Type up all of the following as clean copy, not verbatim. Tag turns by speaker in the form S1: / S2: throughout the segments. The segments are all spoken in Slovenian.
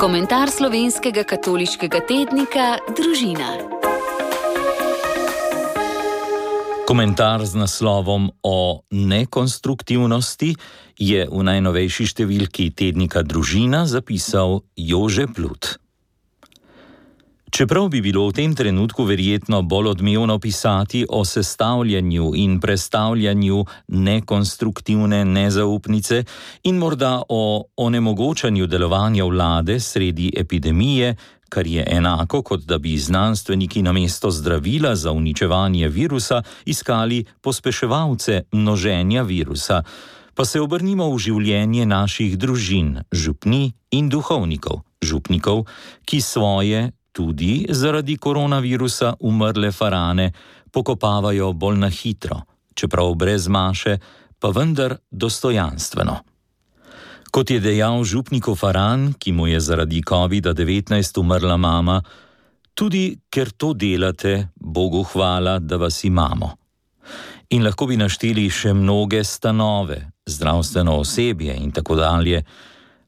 S1: Komentar slovenskega katoliškega tednika Družina.
S2: Komentar z naslovom o nekonstruktivnosti je v najnovejši številki tednika Družina zapisal Jože Plut. Čeprav bi bilo v tem trenutku verjetno bolj odmevno pisati o sestavljanju in prestavljanju nekonstruktivne nezaupnice in morda o onemogočanju delovanja vlade sredi epidemije, kar je enako, kot da bi znanstveniki namesto zdravila za uničevanje virusa iskali pospeševalce množenja virusa, pa se obrnimo v življenje naših družin, župni in duhovnikov, župnikov, ki svoje, tudi zaradi koronavirusa umrle farane pokopavajo bolj na hitro, čeprav brez maše, pa vendar dostojanstveno. Kot je dejal župniku Faran, ki mu je zaradi COVID-19 umrla mama, tudi ker to delate, Bogu hvala, da vas imamo. In lahko bi našteli še mnoge stanove, zdravstveno osebje in tako dalje.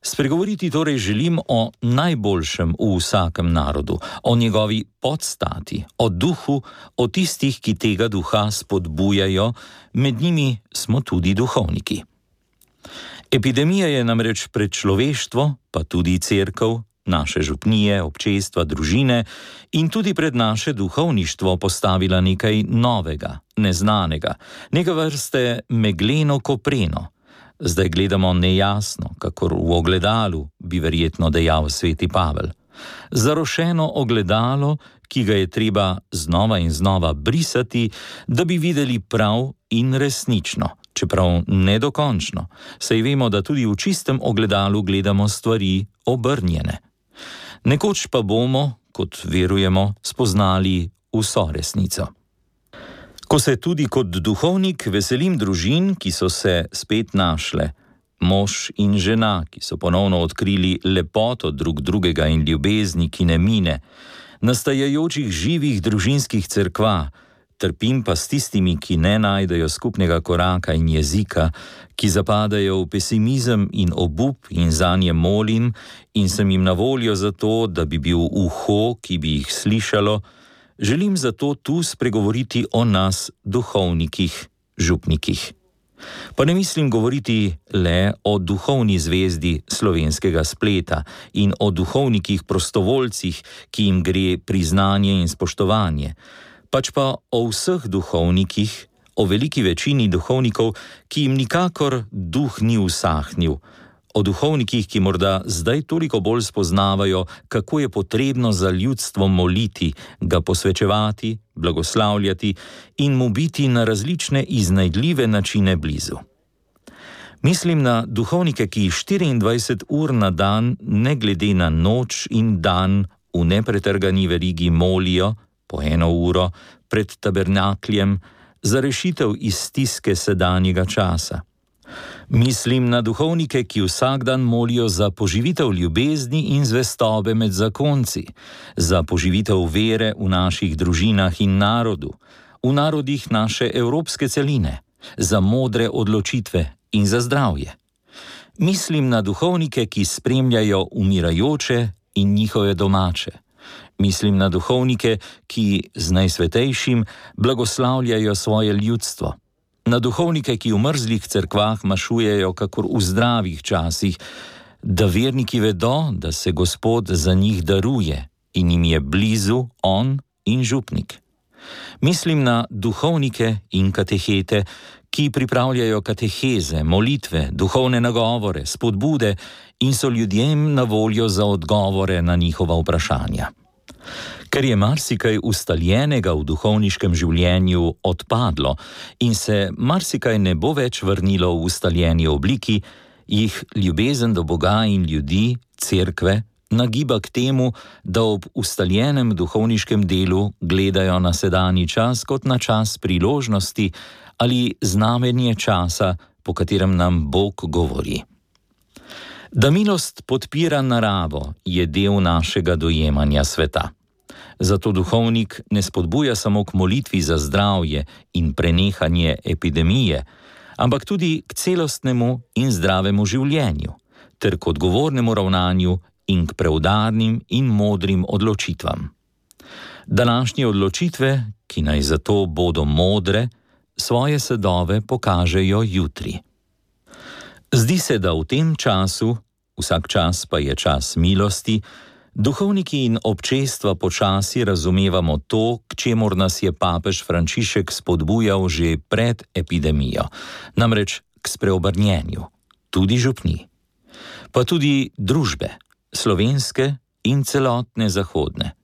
S2: Spregovoriti torej želim o najboljšem v vsakem narodu, o njegovi podstati, o duhu, o tistih, ki tega duha spodbujajo, med njimi smo tudi duhovniki. Epidemija je namreč pred človeštvo, pa tudi cerkev, naše župnije, občestva, družine in tudi pred naše duhovništvo postavila nekaj novega, neznanega, neka vrste megleno kopreno. Zdaj gledamo nejasno, kakor v ogledalu, bi verjetno dejal sveti Pavel. Zarošeno ogledalo, ki ga je treba znova in znova brisati, da bi videli prav in resnično, čeprav nedokončno, saj vemo, da tudi v čistem ogledalu gledamo stvari obrnjene. Nekoč pa bomo, kot verujemo, spoznali vso resnico. Ko se tudi kot duhovnik veselim družin, ki so se spet našle, mož in žena, ki so ponovno odkrili lepoto drug drugega in ljubezni, ki ne mine, nastajajočih živih družinskih cerkva, trpim pa s tistimi, ki ne najdejo skupnega koraka in jezika, ki zapadajo v pesimizem in obup in zanje molim in sem jim na voljo za to, da bi bil uho, ki bi jih slišalo. Želim zato tu spregovoriti o nas, duhovnikih, župnikih. Pa ne mislim govoriti le o duhovni zvezdi slovenskega spleta in o duhovnikih prostovoljcih, ki jim gre priznanje in spoštovanje, pač pa o vseh duhovnikih, o veliki večini duhovnikov, ki jim nikakor duh ni usahnil, o duhovnikih, ki morda zdaj toliko bolj spoznavajo, kako je potrebno za ljudstvo moliti, ga posvečevati, blagoslavljati in mu biti na različne iznajdljive načine blizu. Mislim na duhovnike, ki 24 ur na dan, ne glede na noč in dan, v nepretrgani verigi molijo, po 1 uro, pred tabernakljem, za rešitev iz stiske sedanjega časa. Mislim na duhovnike, ki vsak dan molijo za poživitev ljubezni in zvestobe med zakonci, za poživitev vere v naših družinah in narodu, v narodih naše evropske celine, za modre odločitve in za zdravje. Mislim na duhovnike, ki spremljajo umirajoče in njihove domače. Mislim na duhovnike, ki z najsvetejšim blagoslavljajo svoje ljudstvo. Na duhovnike, ki v mrzlih cerkvah mašujejo kakor v zdravih časih, da verniki vedo, da se Gospod za njih daruje in jim je blizu on in župnik. Mislim na duhovnike in katehete, ki pripravljajo kateheze, molitve, duhovne nagovore, spodbude in so ljudem na voljo za odgovore na njihova vprašanja. Ker je marsikaj ustaljenega v duhovniškem življenju odpadlo in se marsikaj ne bo več vrnilo v ustaljeni obliki, jih ljubezen do Boga in ljudi, cerkve, nagiba k temu, da ob ustaljenem duhovniškem delu gledajo na sedanji čas kot na čas priložnosti ali znamenje časa, po katerem nam Bog govori. Da milost podpira naravo, je del našega dojemanja sveta. Zato duhovnik ne spodbuja samo k molitvi za zdravje in prenehanje epidemije, ampak tudi k celostnemu in zdravemu življenju, ter k odgovornemu ravnanju in k preudarnim in modrim odločitvam. Današnje odločitve, ki naj zato bodo modre, svoje sadove pokažejo jutri. Zdi se, da v tem času, vsak čas pa je čas milosti, duhovniki in občestva počasi razumevamo to, k čemur nas je papež Frančišek spodbujal že pred epidemijo, namreč k spreobrnjenju, tudi župni, pa tudi družbe, slovenske in celotne zahodne.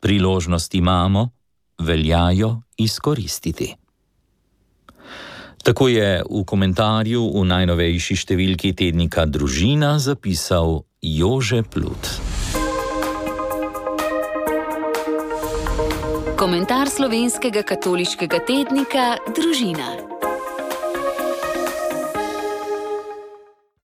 S2: Priložnosti imamo, veljajo izkoristiti. Tako je v komentarju v najnovejši številki tednika Družina zapisal Jože Plut.
S1: Komentar slovenskega katoliškega tednika Družina.